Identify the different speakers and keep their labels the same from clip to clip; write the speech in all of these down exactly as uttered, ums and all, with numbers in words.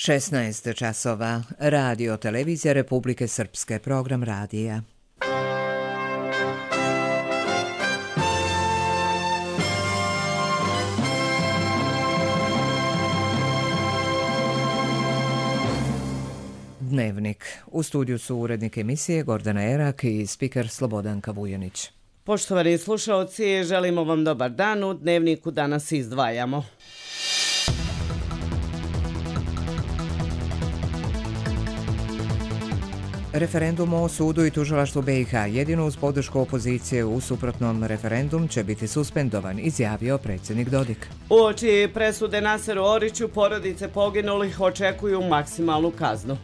Speaker 1: šesnaest časova. Radio televizija Republike Srpske, program radija. Dnevnik. U studiju su urednik emisije Gordana Erak i spiker Slobodanka Vujanić.
Speaker 2: Poštovani slušalci, želimo vam dobar dan. U Dnevniku danas izdvajamo.
Speaker 1: Referendum o sudu i tužilaštvu B i H jedino uz podršku opozicije, u suprotnom referendum će biti suspendovan, izjavio predsjednik Dodik.
Speaker 2: Uoči presude Naseru Oriću, porodice poginulih očekuju maksimalnu kaznu.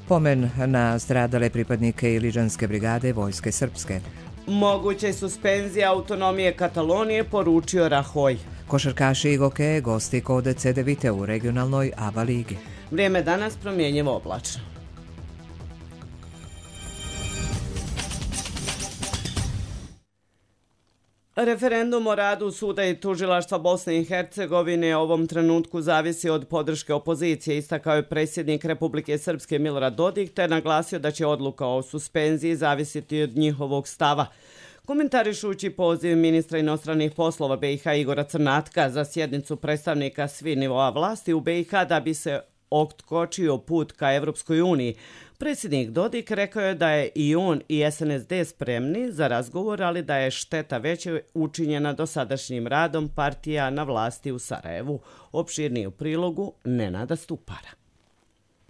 Speaker 1: Pomen na stradale pripadnike Iliđanske brigade Vojske Srpske.
Speaker 2: Moguće suspenzija autonomije Katalonije, poručio Rahoj.
Speaker 1: Košarkaši Igoke gosti kod C D Vite u regionalnoj A B A ligi.
Speaker 2: Vrijeme danas promjenjivo oblačno. Referendum o radu suda i tužilaštva Bosne i Hercegovine u ovom trenutku zavisi od podrške opozicije, istakao je predsjednik Republike Srpske Milorad Dodik, te naglasio da će odluka o suspenziji zavisiti od njihovog stava. Komentarišući poziv ministra inostranih poslova B i H Igora Crnatka za sjednicu predstavnika svih nivoa vlasti u B i H da bi se otkočio put ka Evropskoj uniji, predsjednik Dodik rekao je da je i on i S N S D spremni za razgovor, ali da je šteta veća učinjena dosadašnjim radom partija na vlasti u Sarajevu. Opširniji u prilogu Nenada Stupara.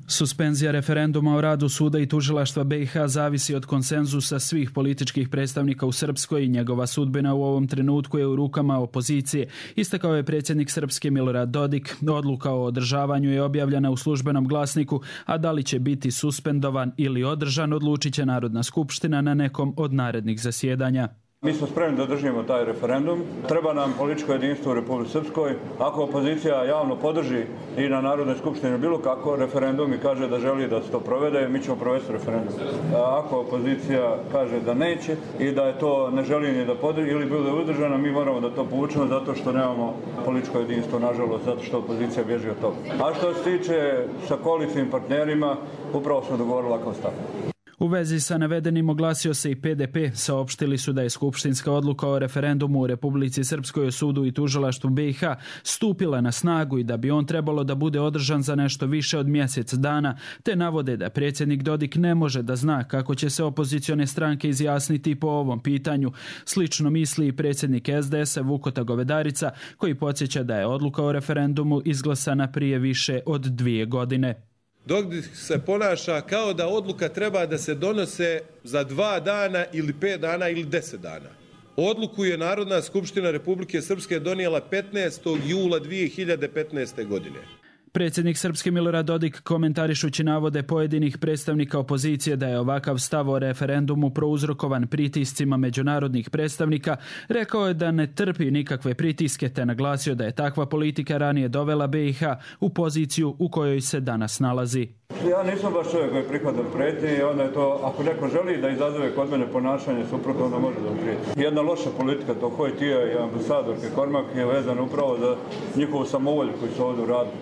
Speaker 3: Suspenzija referenduma o radu suda i tužilaštva B i H zavisi od konsenzusa svih političkih predstavnika u Srpskoj i njegova sudbina u ovom trenutku je u rukama opozicije, istakao je predsjednik Srpske Milorad Dodik. Odluka o održavanju je objavljena u službenom glasniku, a da li će biti suspendovan ili održan odlučit će Narodna skupština na nekom od narednih zasjedanja.
Speaker 4: Mi smo spremni da držimo taj referendum. Treba nam političko jedinstvo u Republici Srpskoj. Ako opozicija javno podrži i na Narodnoj skupštini bilo kako referendum i kaže da želi da se to provede, mi ćemo provesti referendum. A ako opozicija kaže da neće i da je to ne želi ni da podrži ili bude udržana, mi moramo da to povučemo zato što nemamo političko jedinstvo, nažalost, zato što opozicija bježi od toga. A što se tiče sa koalicijnim partnerima, upravo smo dogovorili kao stav.
Speaker 3: U vezi sa navedenim oglasio se i P D P. Saopštili su da je skupštinska odluka o referendumu u Republici Srpskoj o sudu i tužilaštvu B i H stupila na snagu i da bi on trebalo da bude održan za nešto više od mjesec dana, te navode da predsjednik Dodik ne može da zna kako će se opozicione stranke izjasniti po ovom pitanju. Slično misli i predsjednik S D S-a Vukota Govedarica, koji podsjeća da je odluka o referendumu izglasana prije više od dvije godine.
Speaker 5: Dodik se ponaša kao da odluka treba da se donose za dva dana ili pet dana ili deset dana. Odluku je Narodna skupština Republike Srpske donijela petnaestog jula dvije hiljade petnaeste. godine.
Speaker 3: Predsjednik Srpske Milorad Dodik, komentarišući navode pojedinih predstavnika opozicije da je ovakav stav o referendumu prouzrokovan pritiscima međunarodnih predstavnika, rekao je da ne trpi nikakve pritiske, te naglasio da je takva politika ranije dovela B i H u poziciju u kojoj se danas nalazi.
Speaker 4: Ja nisam baš čovjek koji prihvatam prijetnje i onda je to, ako neko želi da izazove kod mene ponašanje suprotno, onda može da prijeti. Jedna loša politika, to Hojtija i ambasadorke Kormak je vezana upravo za njihovu samovolju koji su ovdje uradili.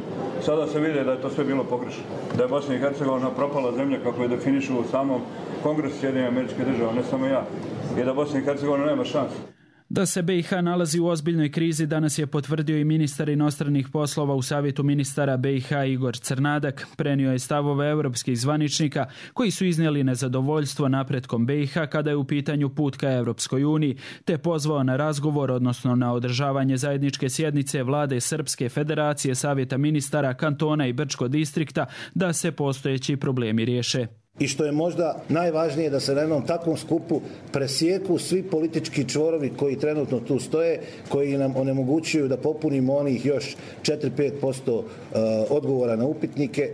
Speaker 4: Sada se vidi da je to sve bilo pogrešno. Da je Bosna i Hercegovina propala zemlja kako je definišu u samom Kongresu Sjedinjenih Američkih Država, ne samo ja. I da Bosna i Hercegovina nema šanse.
Speaker 3: Da se B i H nalazi u ozbiljnoj krizi danas je potvrdio i ministar inostranih poslova u Savjetu ministara B i H Igor Crnadak. Prenio je stavove europskih zvaničnika koji su iznijeli nezadovoljstvo napretkom B i H kada je u pitanju put ka Evropskoj uniji, te pozvao na razgovor, odnosno na održavanje zajedničke sjednice vlade Srpske federacije, Savjeta ministara, kantona i Brčko distrikta da se postojeći problemi riješe.
Speaker 6: I što je možda najvažnije, da se na jednom takvom skupu presjeku svi politički čvorovi koji trenutno tu stoje, koji nam onemogućuju da popunimo onih još četiri do pet posto odgovora na upitnike.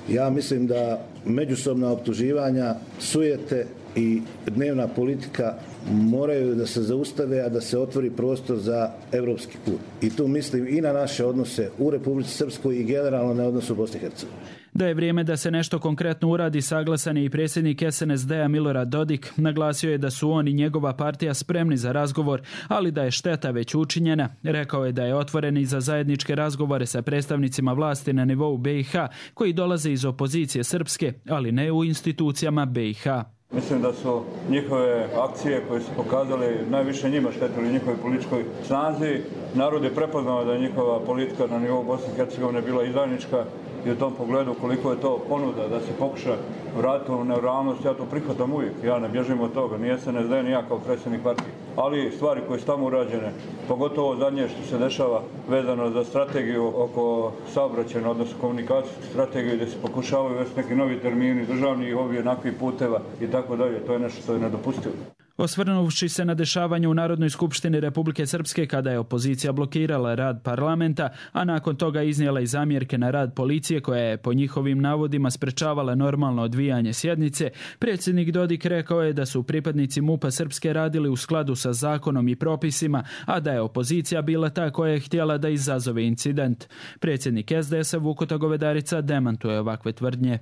Speaker 6: Ja mislim da međusobna optuživanja, sujete i dnevna politika moraju da se zaustave, a da se otvori prostor za evropski put. I tu mislim i na naše odnose u Republici Srpskoj i generalno na odnosu u Bosni i Hercegovini.
Speaker 3: Da je vrijeme da se nešto konkretno uradi, saglasan je i predsjednik S N S D-a Milorad Dodik. Naglasio je da su on i njegova partija spremni za razgovor, ali da je šteta već učinjena. Rekao je da je otvoren i za zajedničke razgovore sa predstavnicima vlasti na nivou B i H, koji dolaze iz opozicije srpske, ali ne u institucijama B i H.
Speaker 4: Mislim da su njihove akcije koje su pokazali najviše njima štetili njihovoj političkoj snazi. Narod je prepoznao da je njihova politika na nivou Bosne i Hercegovine bila izdajnička i u tom pogledu koliko je to ponuda da se pokuša vratiti u nerealnost, ja to prihvatam uvijek. Ja ne bježim od toga, nije se ne zdaje ni ja kao predsjednik partije. Ali stvari koje su tamo urađene, pogotovo zadnje što se dešava vezano za strategiju oko saobraćajne, odnosno komunikacijsku strategiju gdje se pokušavaju uvesti neki novi termini, državni i ovi onakvih puteva i tako dalje, to je nešto što je nedopustivo.
Speaker 3: Osvrnuvši se na dešavanje u Narodnoj skupštini Republike Srpske kada je opozicija blokirala rad parlamenta, a nakon toga iznijela i zamjerke na rad policije koja je po njihovim navodima sprečavala normalno odvijanje sjednice, predsjednik Dodik rekao je da su pripadnici MUP-a Srpske radili u skladu sa zakonom i propisima, a da je opozicija bila ta koja je htjela da izazove incident. Predsjednik S D S-a Vukota Govedarica demantuje ovakve tvrdnje.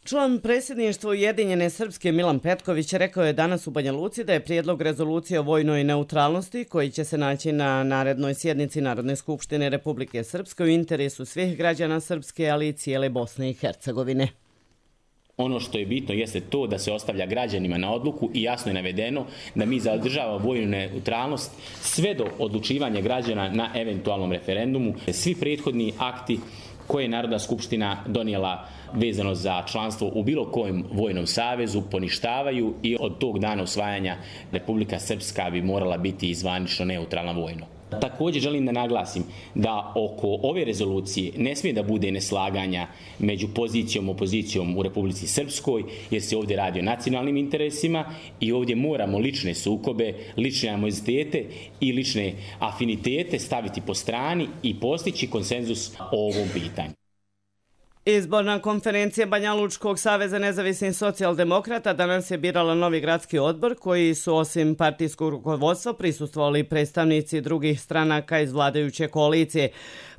Speaker 2: Član predsjedništva Ujedinjene Srpske Milan Petković rekao je danas u Banja Luci da je prijedlog rezolucije o vojnoj neutralnosti koji će se naći na narednoj sjednici Narodne skupštine Republike Srpske u interesu svih građana Srpske, ali i cijele Bosne i Hercegovine.
Speaker 7: Ono što je bitno jeste to da se ostavlja građanima na odluku i jasno je navedeno da mi zadržavamo vojnu neutralnost sve do odlučivanja građana na eventualnom referendumu. Svi prethodni akti koje je Narodna skupština donijela vezano za članstvo u bilo kojem vojnom savezu poništavaju i od tog dana usvajanja Republika Srpska bi morala biti zvanično neutralna vojno. Također želim da naglasim da oko ove rezolucije ne smije da bude neslaganja među pozicijom i opozicijom u Republici Srpskoj, jer se ovdje radi o nacionalnim interesima i ovdje moramo lične sukobe, lične animozitete i lične afinitete staviti po strani i postići konsenzus o ovom pitanju.
Speaker 2: Izborna konferencija Banja Lučkog saveza nezavisnih socijaldemokrata danas je birala novi gradski odbor koji su osim partijskog rukovodstva prisustvovali predstavnici drugih stranaka iz vladajuće koalicije.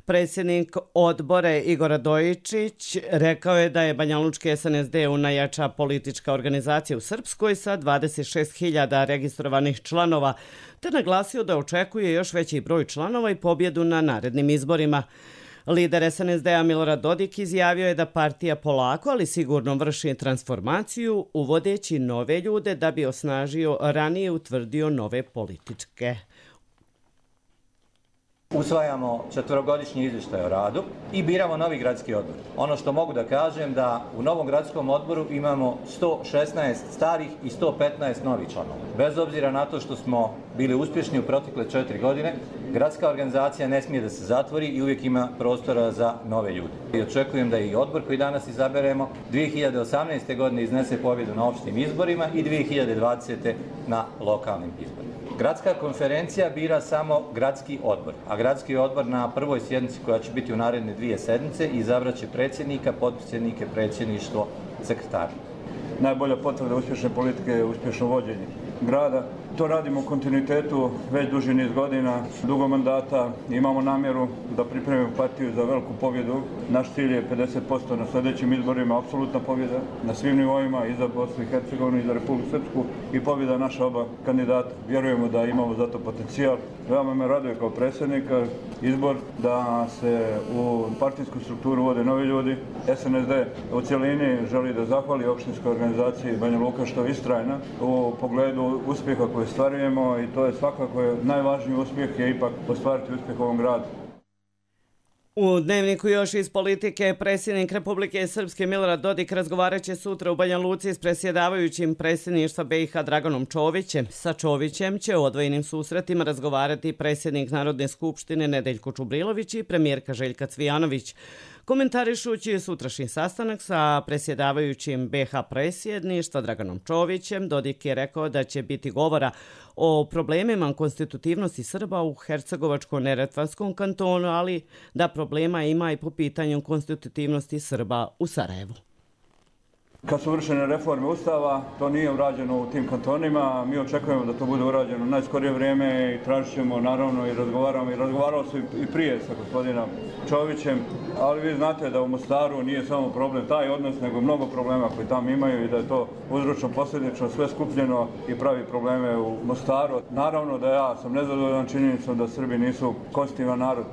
Speaker 2: Predsjednik odbora Igor Radojičić rekao je da je Banja Lučki S N S D najjača politička organizacija u Srpskoj sa dvadeset šest hiljada registrovanih članova, te naglasio da očekuje još veći broj članova i pobjedu na narednim izborima. Lider S N S D-a Milorad Dodik izjavio je da partija polako, ali sigurno vrši transformaciju, uvodeći nove ljude da bi osnažio ranije utvrdio nove političke.
Speaker 8: Usvajamo četverogodišnji izvještaj o radu i biramo novi gradski odbor. Ono što mogu da kažem da u novom gradskom odboru imamo sto šesnaest starih i sto petnaest novih članova. Bez obzira na to što smo bili uspješni u protekle četiri godine, gradska organizacija ne smije da se zatvori i uvijek ima prostora za nove ljude. I očekujem da i odbor koji danas izaberemo dvije hiljade osamnaeste. godine iznese pobjedu na opštim izborima i dvije hiljade dvadesete. na lokalnim izborima. Gradska konferencija bira samo gradski odbor, a gradski odbor na prvoj sjednici koja će biti u naredne dvije sedmice izabraće predsjednika, potpredsjednike, predsjedništvo, sekretara.
Speaker 4: Najbolja potvrda uspješne politike je uspješno vođenje grada. To radimo u kontinuitetu već duži niz godina, dugo mandata. Imamo namjeru da pripremimo partiju za veliku pobjedu. Naš cilj je pedeset posto na sljedećim izborima, apsolutna pobjeda na svim nivoima, i za Bosnu i Hercegovinu, i za Republiku Srpsku, i pobjeda naša oba kandidata. Vjerujemo da imamo za to potencijal. Veoma me raduje kao predsjednika izbor da se u partijsku strukturu vode novi ljudi. S N S D u cjelini želi da zahvali opštinskoj organizaciji Banja Luka što je istrajna u pogledu uspjeha koje stvarujemo, i to je svakako najvažniji uspjeh je ipak ostvariti uspjeh u ovom gradu.
Speaker 2: U dnevniku još iz politike, predsjednik Republike Srpske Milorad Dodik razgovarat će sutra u Banja Luci s predsjedavajućim predsjedništva B i H Draganom Čovićem. Sa Čovićem će u odvojenim susretima razgovarati predsjednik Narodne skupštine Nedeljko Čubrilović i premijerka Željka Cvijanović. Komentarišući sutrašnji sastanak sa predsjedavajućim B i H predsjedništva Draganom Čovićem, Dodik je rekao da će biti govora o problemima konstitutivnosti Srba u Hercegovačko-Neretvanskom kantonu, ali da problema ima i po pitanju konstitutivnosti Srba u Sarajevu.
Speaker 4: Kad su vršene reforme Ustava, to nije urađeno u tim kantonima. Mi očekujemo da to bude urađeno u najskorije vrijeme i tražit ćemo naravno i razgovaramo. I razgovarao se i prije sa gospodinom Čovićem, ali vi znate da u Mostaru nije samo problem taj odnos, nego mnogo problema koji tamo imaju i da je to uzročno posljedično sve skupljeno i pravi probleme u Mostaru. Naravno da ja sam nezadovoljan činjenicom da Srbi nisu konstitutivan narod.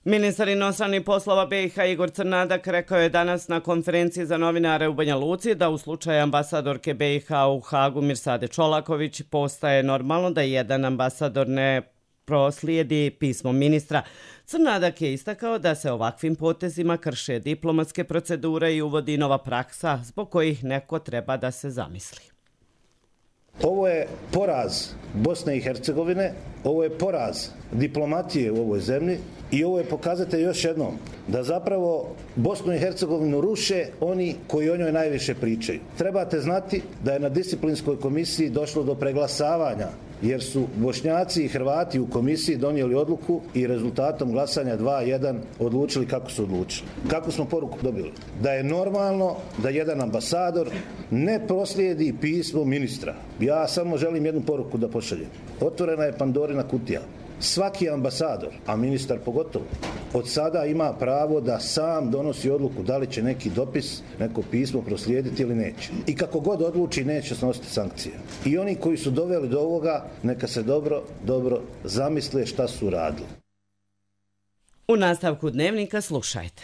Speaker 2: Ministar inostranih poslova B i H Igor Crnadak rekao je danas na konferenciji za novinare u Banja Luci da u slučaju ambasadorke B i H u Hagu Mirsade Čolaković postaje normalno da jedan ambasador ne proslijedi pismo ministra. Crnadak je istakao da se ovakvim potezima krše diplomatske procedure i uvodi nova praksa zbog kojih neko treba da se zamisli.
Speaker 6: Ovo je poraz Bosne i Hercegovine, ovo je poraz diplomatije u ovoj zemlji i ovo je pokazatelj još jednom da zapravo Bosnu i Hercegovinu ruše oni koji o njoj najviše pričaju. Trebate znati da je na disciplinskoj komisiji došlo do preglasavanja jer su Bošnjaci i Hrvati u komisiji donijeli odluku i rezultatom glasanja dva jedan odlučili kako su odlučili. Kako smo poruku dobili? Da je normalno da jedan ambasador ne proslijedi pismo ministra. Ja samo želim jednu poruku da pošaljem. Otvorena je Pandorina kutija. Svaki ambasador, a ministar pogotovo, od sada ima pravo da sam donosi odluku da li će neki dopis, neko pismo proslijediti ili neće. I kako god odluči, neće snositi sankcije. I oni koji su doveli do ovoga, neka se dobro, dobro zamisle šta su radili.
Speaker 2: U nastavku dnevnika slušajte.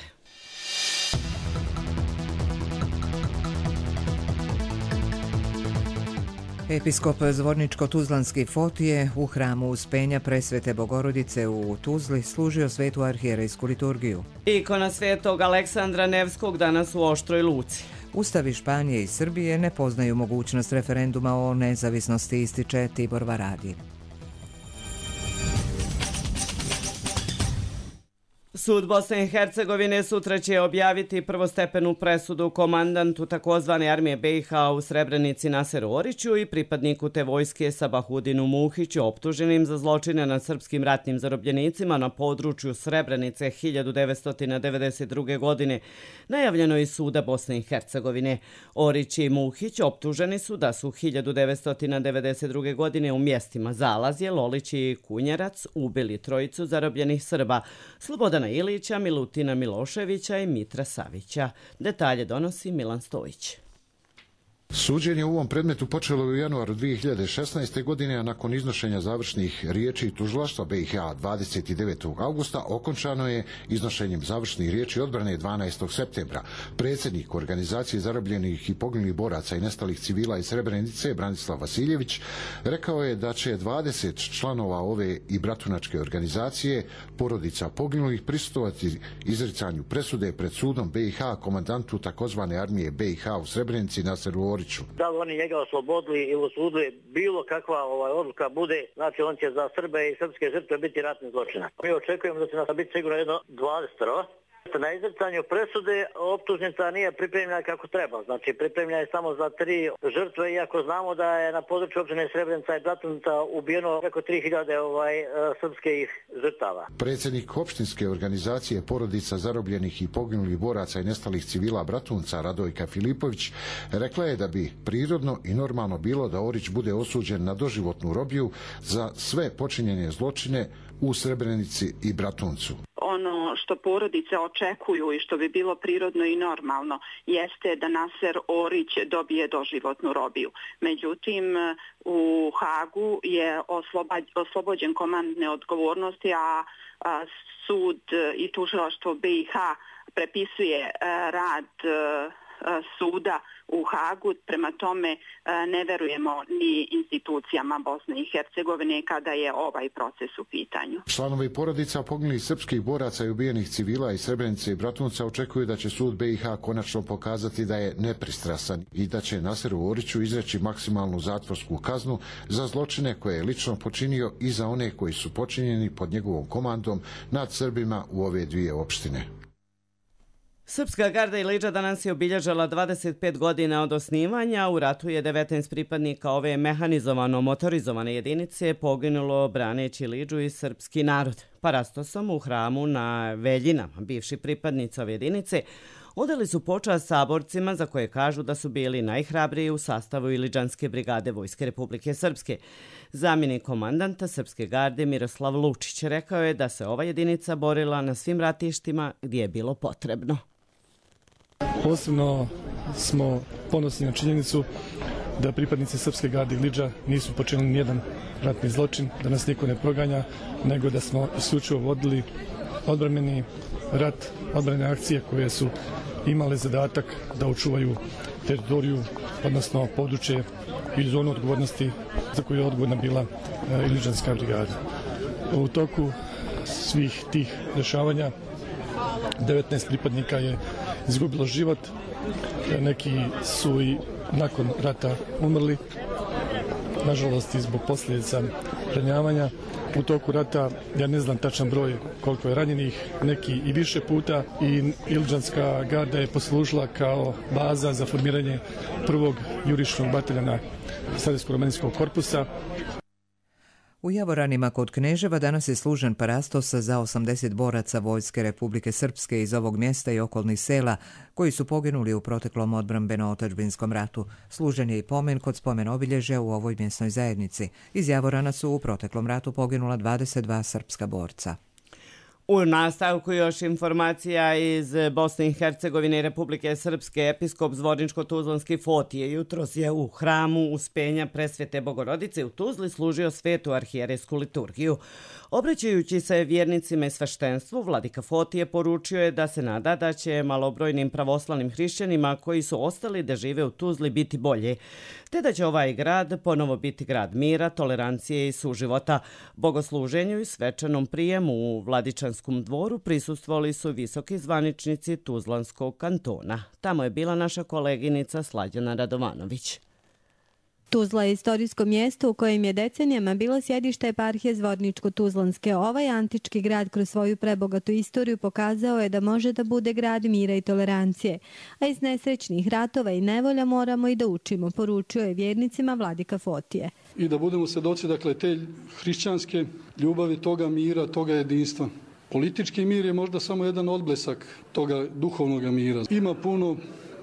Speaker 1: Episkop Zvorničko-Tuzlanski Fotije u hramu Uspenja Presvete Bogorodice u Tuzli služio svetu arhijerejsku liturgiju.
Speaker 2: Ikona svetog Aleksandra Nevskog danas u Oštroj Luci.
Speaker 1: Ustavi Španije i Srbije ne poznaju mogućnost referenduma o nezavisnosti, ističe Tibor Varadi.
Speaker 2: Sud Bosne i Hercegovine sutra će objaviti prvostepenu presudu komandantu takozvane armije B i H u Srebrenici Naseru Oriću i pripadniku te vojske Sabahudinu Muhiću optuženim za zločine nad srpskim ratnim zarobljenicima na području Srebrenice hiljadu devetsto devedeset druge. godine. Najavljeno iz suda Bosne i Hercegovine. Orić i Muhić optuženi su da su hiljadu devetsto devedeset druge. godine u mjestima Zalazje, Lolić i Kunjerac ubili trojicu zarobljenih Srba, Slobodana Ilića, Milutina Miloševića i Mitra Savića. Detalje donosi Milan Stojić.
Speaker 9: Suđenje u ovom predmetu počelo u januaru dvije hiljade šesnaeste. godine, a nakon iznošenja završnih riječi tužilaštva B i H dvadeset devetog augusta okončano je iznošenjem završnih riječi odbrane dvanaestog septembra. Predsjednik Organizacije zarobljenih i poginulih boraca i nestalih civila iz Srebrenice, Branislav Vasiljević, rekao je da će dvadeset članova ove i bratunačke organizacije porodica poginulih prisustvovati izricanju presude pred sudom B i H komandantu takozvane armije B i H u Srebrenici Naseru Oriću.
Speaker 10: Da li oni njega oslobodili ili osudili, bilo kakva ovaj, odluka bude, znači on će za Srbe i srpske žrtve biti ratni zločinac. Mi očekujemo da će nas biti sigurno jedno dvadeset. Na izricanju presude optužnica nije pripremljena kako treba. Znači pripremljena je samo za tri žrtve, iako znamo da je na području općine Srebrenica i Bratunica ubijeno preko tri hiljade ovaj, srpskih žrtava.
Speaker 9: Predsjednik opštinske organizacije porodica zarobljenih i poginulih boraca i nestalih civila Bratunca, Radojka Filipović, rekla je da bi prirodno i normalno bilo da Orić bude osuđen na doživotnu robiju za sve počinjene zločine u Srebrenici i Bratuncu.
Speaker 11: Ono što porodice očekuju i što bi bilo prirodno i normalno jeste da Naser Orić dobije doživotnu robiju. Međutim, u Hagu je oslobođen komandne odgovornosti, a sud i tužilaštvo B i H prepisuje rad suda u Hagu, prema tome ne verujemo ni institucijama Bosne i Hercegovine kada je ovaj proces u pitanju.
Speaker 9: Članovi porodica poginulih srpskih boraca i ubijenih civila iz Srebrenice i Bratunca očekuju da će sud B i H konačno pokazati da je nepristrasan i da će Naseru Oriću izreći maksimalnu zatvorsku kaznu za zločine koje je lično počinio i za one koji su počinjeni pod njegovom komandom nad Srbima u ove dvije opštine.
Speaker 2: Srpska garda Iliđa danas je obilježila dvadeset pet godina od osnivanja. U ratu je devetnaest pripadnika ove mehanizovano motorizovane jedinice poginulo braneći Iliđu i srpski narod. Parastosom u hramu na Veljinama, bivši pripadnici ove jedinice, odali su počast saborcima za koje kažu da su bili najhrabriji u sastavu Iliđanske brigade Vojske Republike Srpske. Zamjenik komandanta Srpske garde Miroslav Lučić rekao je da se ova jedinica borila na svim ratištima gdje je bilo potrebno.
Speaker 12: Posebno smo ponosni na činjenicu da pripadnici Srpske garde Iliđa nisu počinili nijedan ratni zločin, da nas niko ne proganja, nego da smo isključivo vodili odbrambeni rat, odbrambene akcije koje su imale zadatak da očuvaju teritoriju, odnosno područje i zonu odgovornosti za koju je odgovorna bila Iliđanska brigada. U toku svih tih dešavanja devetnaest pripadnika je izgubilo život, neki su i nakon rata umrli, nažalost i zbog posljedica ranjavanja. U toku rata, ja ne znam tačan broj koliko je ranjenih, neki i više puta, i Iliđanska garda je poslužila kao baza za formiranje prvog jurišnog bataljona Srednjsko-romanijskog korpusa.
Speaker 1: U Javoranima kod Kneževa danas je služen parastos za osamdeset boraca Vojske Republike Srpske iz ovog mjesta i okolnih sela koji su poginuli u proteklom odbrambeno-otadžbinskom ratu. Služen je i pomen kod spomen obilježja u ovoj mjesnoj zajednici. Iz Javorana su u proteklom ratu poginula dvadeset dva srpska borca.
Speaker 2: U nastavku još informacija iz Bosne i Hercegovine i Republike Srpske. Episkop Zvorničko-Tuzlanski Fotije jutros je u hramu Uspenja Presvete Bogorodice u Tuzli služio svetu arhijerejsku liturgiju. Obraćajući se vjernicima i sveštenstvu, vladika Fotije poručio je da se nada da će malobrojnim pravoslavnim hrišćanima koji su ostali da žive u Tuzli biti bolje, te da će ovaj grad ponovo biti grad mira, tolerancije i suživota. Bogosluženju i svečanom prijemu u Vladičanskom dvoru prisustvovali su visoki zvaničnici Tuzlanskog kantona. Tamo je bila naša koleginica Slađana Radovanović.
Speaker 13: Tuzla je istorijsko mjesto u kojem je decenijama bilo sjedište eparhije Zvorničko-Tuzlanske. Ovaj antički grad kroz svoju prebogatu istoriju pokazao je da može da bude grad mira i tolerancije. A iz nesrećnih ratova i nevolja moramo i da učimo, poručio je vjernicima vladika Fotije.
Speaker 14: I da budemo svjedoci, dakle, te hrišćanske ljubavi, toga mira, toga jedinstva. Politički mir je možda samo jedan odblesak toga duhovnog mira. Ima puno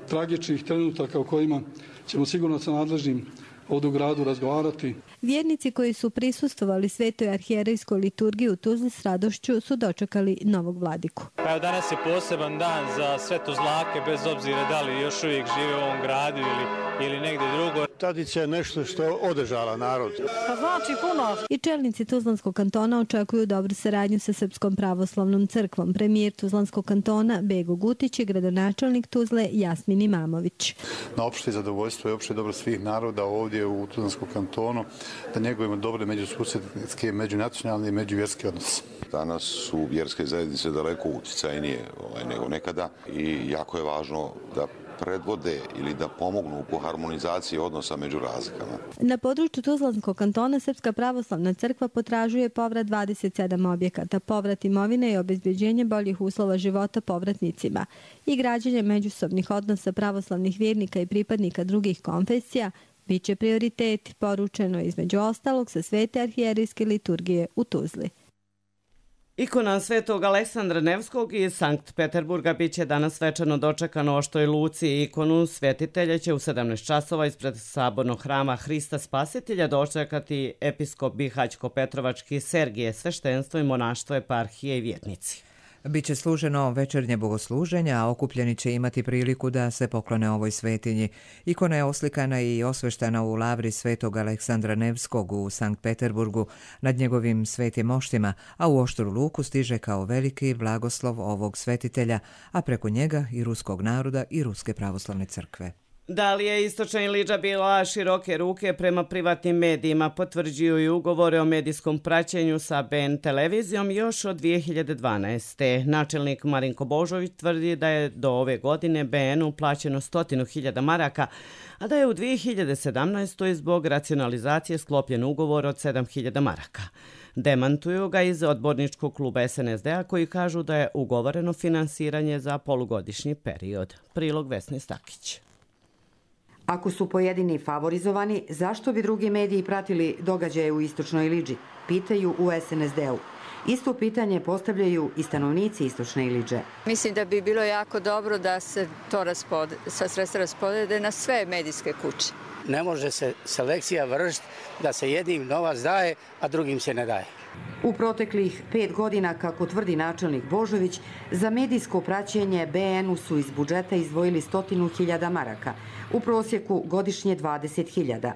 Speaker 14: tragičnih trenutaka o kojima ćemo sigurno sa nadležnim ovdje u gradu razgovarati.
Speaker 13: Vjernici koji su prisustvovali svetoj arhijerejskoj liturgiji u Tuzli s radošću su dočekali novog vladiku.
Speaker 15: Evo, danas je poseban dan za sve Tuzlake, bez obzira da li još uvijek žive u ovom gradu ili, ili negdje drugo.
Speaker 16: Tradicija je nešto što održava narod.
Speaker 13: Pa znači puno. I čelnici Tuzlanskog kantona očekuju dobru saradnju sa Srpskom pravoslavnom crkvom. Premijer Tuzlanskog kantona Bego Gutić i gradonačelnik Tuzle Jasmin Imamović.
Speaker 16: Na opšte zadovoljstvo i opšte dobro svih naroda ovdje u Tuzlanskom kantonu da njegujemo dobre međususjedske, međunacionalne i međuvjerske odnose.
Speaker 17: Danas su vjerske zajednice daleko utjecajnije ovaj, nego nekada i jako je važno da predvode ili da pomognu u harmonizaciji odnosa među razlikama.
Speaker 13: Na području Tuzlanskog kantona Srpska pravoslavna crkva potražuje povrat dvadeset sedam objekata, povrat imovine i obezbeđenje boljih uslova života povratnicima i građenje međusobnih odnosa pravoslavnih vjernika i pripadnika drugih konfesija biće prioritet, poručeno između ostalog sa svete arhijerejske liturgije u Tuzli.
Speaker 2: Ikona svetog Aleksandra Nevskog iz Sankt Peterburga biće danas svečano dočekano u Oštroj Luci. Ikonu svetitelja će u sedamnaest časova ispred sabornog hrama Hrista Spasitelja dočekati episkop Bihaćko-Petrovački Sergije, sveštenstvo i monaštvo eparhije i vjernici.
Speaker 1: Biće služeno večernje bogosluženja, a okupljeni će imati priliku da se poklone ovoj svetinji. Ikona je oslikana i osveštana u lavri svetog Aleksandra Nevskog u Sankt Peterburgu nad njegovim svetim moštima, a u Oštru Luku stiže kao veliki blagoslov ovog svetitelja, a preko njega i ruskog naroda i Ruske pravoslavne crkve.
Speaker 2: Da li je istočna Iliđa bila široke ruke prema privatnim medijima, potvrđuju i ugovore o medijskom praćenju sa B N televizijom još od dvije hiljade dvanaeste. Načelnik Marinko Božović tvrdi da je do ove godine B N-u plaćeno stotinu hiljada maraka, a da je u dvije hiljade sedamnaestoj zbog racionalizacije sklopljen ugovor od sedam hiljada maraka. Demantuju ga iz odborničkog kluba S N S D-a koji kažu da je ugovoreno finansiranje za polugodišnji period. Prilog Vesne Stakić.
Speaker 18: Ako su pojedini favorizovani, zašto bi drugi mediji pratili događaje u Istočnoj Iliđi? Pitaju u es en es de u. Isto pitanje postavljaju i stanovnici Istočne Iliđe.
Speaker 19: Mislim da bi bilo jako dobro da se to raspode, sa sredstva raspodede na sve medijske kuće.
Speaker 20: Ne može se selekcija vršiti da se jednim novac daje, a drugim se ne daje.
Speaker 18: U proteklih pet godina, kako tvrdi načelnik Božović, za medijsko praćenje be en u su iz budžeta izdvojili stotinu hiljada maraka, u prosjeku godišnje dvadeset hiljada.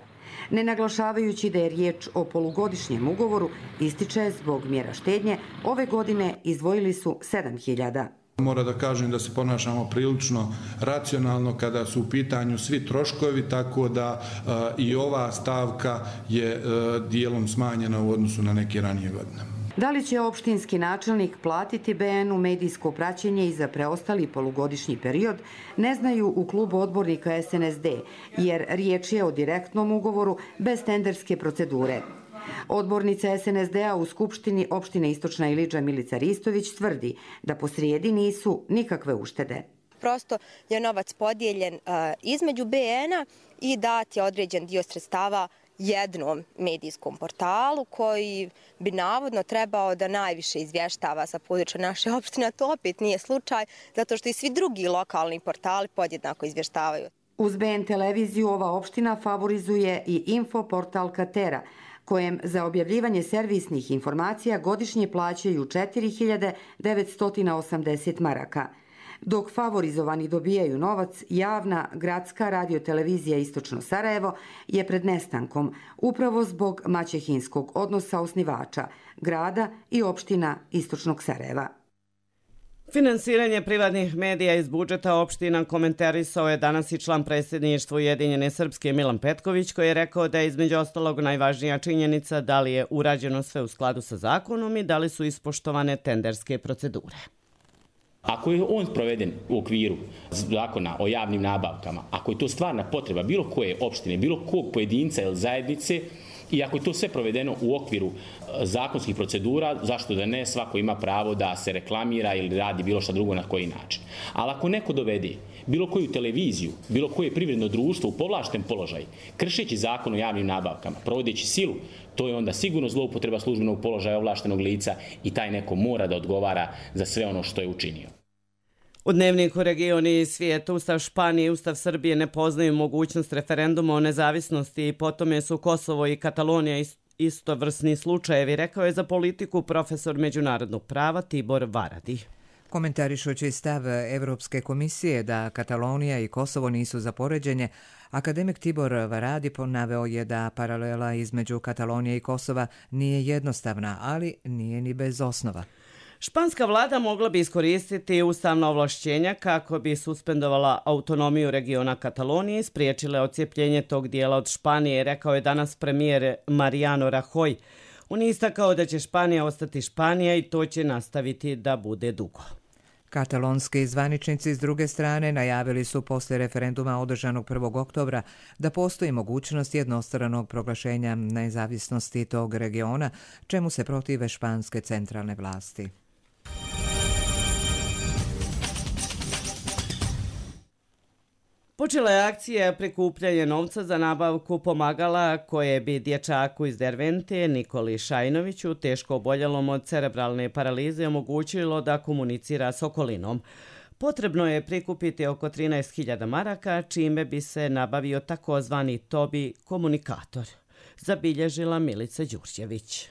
Speaker 18: Ne naglašavajući da je riječ o polugodišnjem ugovoru, ističe zbog mjera štednje, ove godine izdvojili su sedam hiljada.
Speaker 21: Mora da kažem da se ponašamo prilično racionalno kada su u pitanju svi troškovi, tako da uh, i ova stavka je uh, dijelom smanjena u odnosu na neke ranije godine.
Speaker 18: Da li će opštinski načelnik platiti be en u medijsko praćenje i za preostali polugodišnji period, ne znaju u klubu odbornika es en es de, jer riječ je o direktnom ugovoru bez tenderske procedure. Odbornica es en es de a u Skupštini opštine Istočna Iliđa Milica Ristović tvrdi da posrijedi nisu nikakve uštede.
Speaker 22: Prosto je novac podijeljen uh, između be ena i dat je određen dio sredstava jednom medijskom portalu koji bi navodno trebao da najviše izvještava sa područja naše opštine, a to opet nije slučaj, zato što i svi drugi lokalni portali podjednako izvještavaju.
Speaker 18: Uz be en televiziju ova opština favorizuje i info portal Katera, kojem za objavljivanje servisnih informacija godišnje plaćaju četiri hiljade devetsto osamdeset maraka. Dok favorizovani dobijaju novac, javna gradska radiotelevizija Istočno Sarajevo je pred nestankom, upravo zbog maćehinskog odnosa osnivača, grada i opština Istočnog Sarajeva.
Speaker 2: Finansiranje privatnih medija iz budžeta opština komentarisao je danas i član predsjedništva Ujedinjene Srpske Milan Petković, koji je rekao da je između ostalog najvažnija činjenica da li je urađeno sve u skladu sa zakonom i da li su ispoštovane tenderske procedure.
Speaker 7: Ako je on proveden u okviru zakona o javnim nabavkama, ako je to stvarna potreba bilo koje opštine, bilo kog pojedinca ili zajednice, i ako je to sve provedeno u okviru zakonskih procedura, zašto da ne, svako ima pravo da se reklamira ili radi bilo šta drugo na koji način. Ali ako neko dovede bilo koju televiziju, bilo koje privredno društvo u povlašten položaj, kršeći zakon o javnim nabavkama, provodeći silu, to je onda sigurno zloupotreba službenog položaja ovlaštenog lica i taj neko mora da odgovara za sve ono što je učinio.
Speaker 2: U dnevniku Regioni i svijeta Ustav Španije i Ustav Srbije ne poznaju mogućnost referenduma o nezavisnosti i po tome su Kosovo i Katalonija istovrsni slučajevi, rekao je za politiku profesor međunarodnog prava Tibor Varadi.
Speaker 1: Komentarišući stav Evropske komisije da Katalonija i Kosovo nisu za poređenje, akademik Tibor Varadi naveo je da paralela između Katalonije i Kosova nije jednostavna, ali nije ni bez osnova.
Speaker 2: Španska vlada mogla bi iskoristiti ustavna ovlašćenja kako bi suspendovala autonomiju regiona Katalonije i spriječile odcijepljenje tog dijela od Španije, rekao je danas premijer Mariano Rajoy. On je istakao da će Španija ostati Španija i to će nastaviti da bude dugo.
Speaker 1: Katalonski zvaničnici s druge strane najavili su poslije referenduma održanog prvog oktobra da postoji mogućnost jednostranog proglašenja nezavisnosti tog regiona, čemu se protive španske centralne vlasti.
Speaker 2: Počela je akcija prikupljanja novca za nabavku pomagala koje bi dječaku iz Dervente Nikoli Šajnoviću, teško oboljelom od cerebralne paralize, omogućilo da komunicira s okolinom. Potrebno je prikupiti oko trinaest hiljada maraka, čime bi se nabavio takozvani Tobi komunikator, zabilježila Milica Đurđević.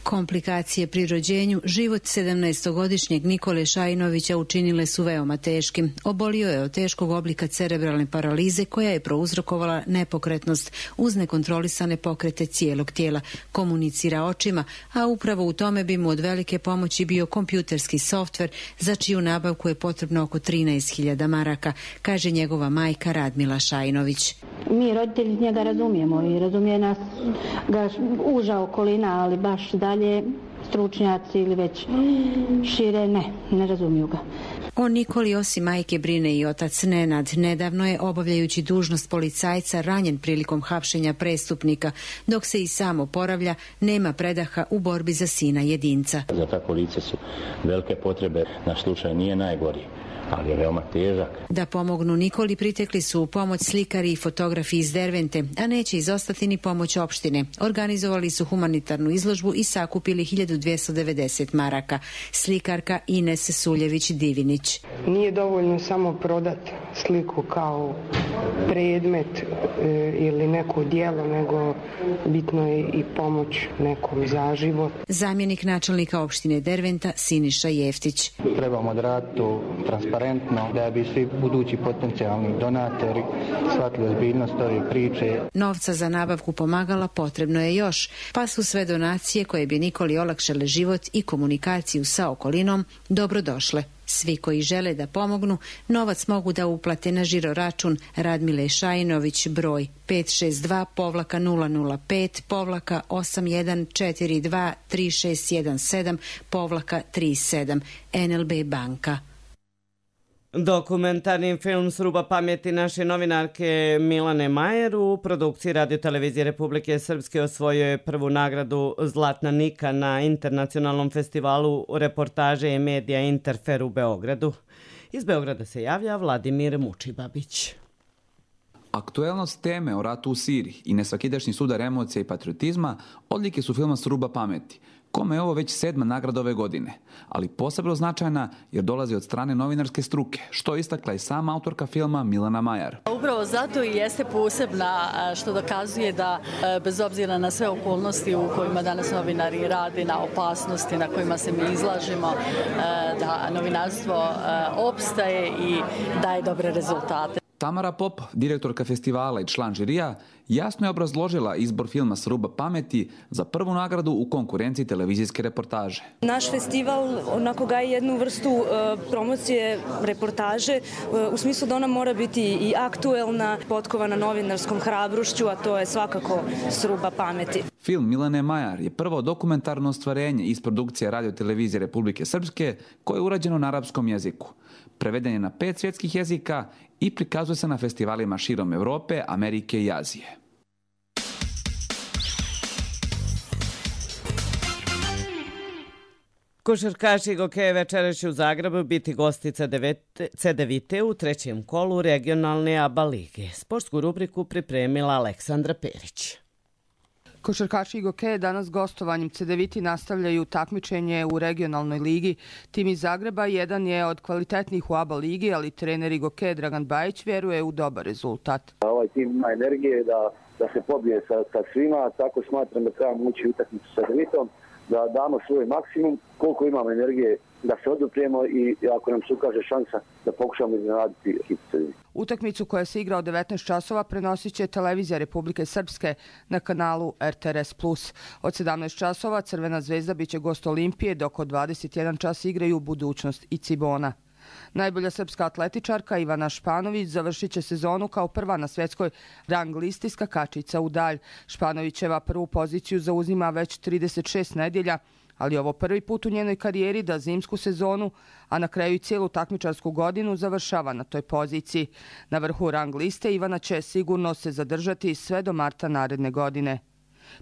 Speaker 23: Komplikacije pri rođenju život sedamnaestogodišnjeg Nikole Šajnovića učinile su veoma teškim. Obolio je od teškog oblika cerebralne paralize koja je prouzrokovala nepokretnost uz nekontrolisane pokrete cijelog tijela. Komunicira očima, a upravo u tome bi mu od velike pomoći bio kompjuterski softver za čiju nabavku je potrebno oko trinaest hiljada maraka, kaže njegova majka Radmila Šajnović.
Speaker 24: Mi roditelji njega razumijemo i razumije nas ga uža okolina, ali baš dalje stručnjaci ili već šire ne, ne razumiju ga.
Speaker 23: O Nikoli osim majke brine i otac Nenad. Nedavno je, obavljajući dužnost policajca, ranjen prilikom hapšenja prestupnika. Dok se i sam oporavlja, nema predaha u borbi za sina jedinca.
Speaker 25: Za tako lice su velike potrebe, naš slučaj nije najgori.
Speaker 3: ali je veoma težak.
Speaker 23: Da pomognu Nikoli pritekli su u pomoć slikari i fotografi iz Dervente, a neće izostati ni pomoć opštine. Organizovali su humanitarnu izložbu i sakupili hiljadu dvjesto devedeset maraka. Slikarka Ines Suljević-Divinić.
Speaker 4: Nije dovoljno samo prodati sliku kao predmet e, ili neko djelo, nego bitno je i pomoć nekom za život.
Speaker 23: Zamjenik načelnika opštine Derventa Siniša Jeftić.
Speaker 3: Trebamo odraditi to transparentno da bi svi budući potencijalni donatori shvatili ozbiljnost ove priče.
Speaker 23: Novca za nabavku pomagala potrebno je još, pa su sve donacije koje bi Nikoli olakšale život i komunikaciju sa okolinom dobrodošle. Svi koji žele da pomognu, novac mogu da uplate na žiro račun Radmile Šajinović broj pet šest dva nula nula pet osam jedan četiri dva tri šest jedan sedam tri sedam N L B banka.
Speaker 2: Dokumentarni film Sruba pameti naše novinarke Milane Majer u produkciji Radio-televizije Republike Srpske osvojio je prvu nagradu Zlatna Nika na internacionalnom festivalu reportaže i medija Interfer u Beogradu. Iz Beograda se javlja Vladimir Mučibabić.
Speaker 5: Aktuelnost teme o ratu u Siriji i nesvakidašnji sudar emocija i patriotizma odlike su filma Sruba pameti, kome je ovo već sedma nagrada ove godine, ali posebno značajna jer dolazi od strane novinarske struke, što je istakla i sama autorka filma Milana Majar.
Speaker 8: Upravo zato i jeste posebna što dokazuje da bez obzira na sve okolnosti u kojima danas novinari rade, na opasnosti na kojima se mi izlažemo, da novinarstvo opstaje i daje dobre rezultate.
Speaker 5: Tamara Pop, direktorka festivala i član žirija, jasno je obrazložila izbor filma Sruba pameti za prvu nagradu u konkurenciji televizijske reportaže.
Speaker 25: Naš festival onako gaje jednu vrstu uh, promocije reportaže uh, u smislu da ona mora biti i aktuelna, potkovana novinarskom hrabrošću, a to je svakako Sruba pameti.
Speaker 5: Film Milane Majar je prvo dokumentarno ostvarenje iz produkcije Radio-televizije Republike Srpske koje je urađeno na arapskom jeziku. Preveden je na pet svjetskih jezika i prikazuje se na festivalima širom Evrope, Amerike i Azije.
Speaker 2: Košarkaši Gokeje večeras će u Zagrebu biti gosti Cedevite u trećem kolu regionalne A B A lige. Sportsku rubriku pripremila Aleksandra Perić.
Speaker 26: Košarkaši Gokeje danas gostovanjem Cedeviti nastavljaju takmičenje u regionalnoj ligi. Tim iz Zagreba jedan je od kvalitetnih u A B A ligi, ali trener Gokeje Dragan Bajić vjeruje u dobar rezultat.
Speaker 27: Ovaj tim ima energije da, da se pobije sa, sa svima, tako smatram da trebamo ući utakmicu sa Cedevitom, da damo svoj maksimum, koliko imamo energije da se oduprijemo i ako nam se ukaže šansa da pokušamo iznenaditi ekipu Cedevite.
Speaker 26: Utakmicu koja se igra od devetnaest časova prenosit će televizija Republike Srpske na kanalu R T R S plus. Od sedamnaest časova Crvena zvezda biće gost Olimpije, dok od dvadeset jedan čas igraju Budućnost i Cibona. Najbolja srpska atletičarka Ivana Španović završit će sezonu kao prva na svjetskoj rang listi skakačica u dalj. Španovićeva prvu poziciju zauzima već trideset šest nedjelja, ali ovo prvi put u njenoj karijeri da zimsku sezonu, a na kraju i cijelu takmičarsku godinu završava na toj poziciji. Na vrhu rang liste Ivana će sigurno se zadržati sve do marta naredne godine.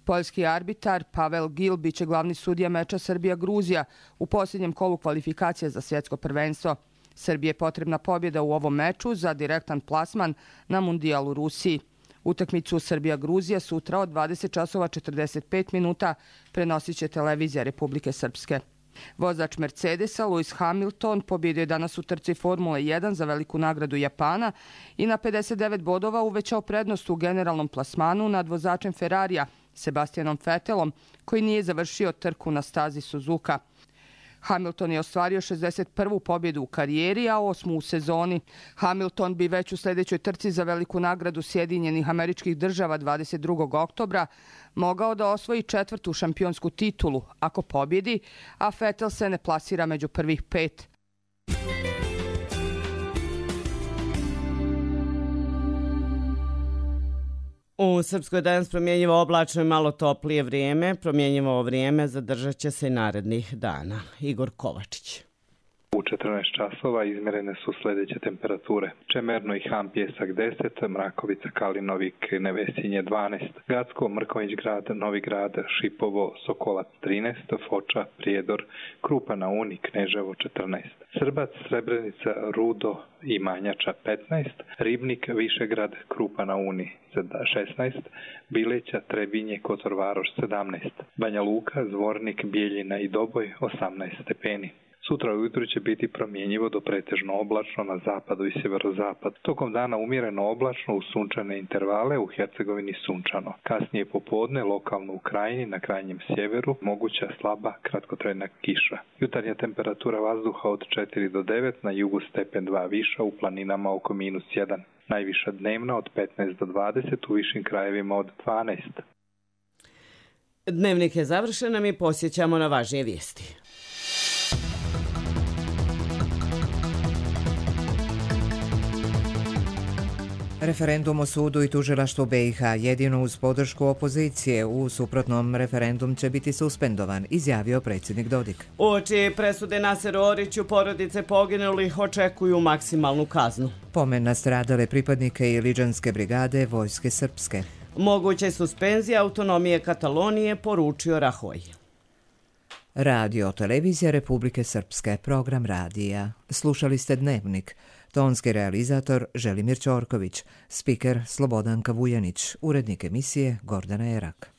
Speaker 26: Poljski arbitar Pavel Gil biće glavni sudija meča Srbija-Gruzija u posljednjem kolu kvalifikacija za svjetsko prvenstvo. Srbije je potrebna pobjeda u ovom meču za direktan plasman na Mundijal u Rusiji. Utakmicu Srbija-Gruzija sutra od dvadeset časova četrdeset pet minuta prenosit će televizija Republike Srpske. Vozač Mercedesa Lewis Hamilton pobjedio je danas u trci Formule jedan za veliku nagradu Japana i na pedeset devet bodova uvećao prednost u generalnom plasmanu nad vozačem Ferrarija Sebastianom Vettelom, koji nije završio trku na stazi Suzuka. Hamilton je ostvario šezdeset prvu pobjedu u karijeri, a osmu u sezoni. Hamilton bi već u sljedećoj trci za veliku nagradu Sjedinjenih Američkih Država dvadeset drugog oktobra mogao da osvoji četvrtu šampionsku titulu ako pobjedi, a Vettel se ne plasira među prvih pet.
Speaker 2: U Srpskoj danas promjenjivo oblačno i malo toplije vrijeme. Promjenjivo vrijeme zadržat će se i narednih dana. Igor Kovačić.
Speaker 6: U četrnaest časova izmjerene su sljedeće temperature. Čemerno i Han Pjesak deset, Mrakovica, Kalinovik, Nevesinje dvanaest, Gacko, Mrković grad, Novi grad, Šipovo, Sokolac trinaest, Foča, Prijedor, Krupa na Uni, Kneževo četrnaest, Srbac, Srebrenica, Rudo i Manjača petnaest, Ribnik, Višegrad, Krupa na Uni šesnaest, Bileća, Trebinje, Kotor Varoš sedamnaest, Banja Luka, Zvornik, Bijeljina i Doboj osamnaest stepeni. Sutra ujutro će biti promjenjivo do pretežno oblačno na zapadu i sjeverozapad. Tokom dana umjereno oblačno u sunčane intervale, u Hercegovini sunčano. Kasnije popodne lokalno u Krajini, na krajnjem sjeveru, moguća slaba kratkotrajna kiša. Jutarnja temperatura vazduha od četiri do devet, na jugu stepen dva viša, u planinama oko minus jedan. Najviša dnevna od petnaest do dvadeset, u višim krajevima od dvanaest.
Speaker 2: Dnevnik je završen, a mi posjećamo na važnije vijesti.
Speaker 1: Referendum o sudu i tužilaštvu B i H jedino uz podršku opozicije, u suprotnom referendum će biti suspendovan, izjavio predsjednik Dodik.
Speaker 2: Uoči presude Naseru Oriću porodice poginulih očekuju maksimalnu kaznu.
Speaker 1: Pomen nastradale pripadnike Iliđanske brigade Vojske srpske.
Speaker 2: Moguće suspenzije autonomije Katalonije, poručio Rahoj.
Speaker 1: Radio televizija Republike Srpske, program radija. Slušali ste Dnevnik. Tonski realizator Želimir Ćorković, spiker Slobodanka Vujanić, urednik emisije Gordana Erak.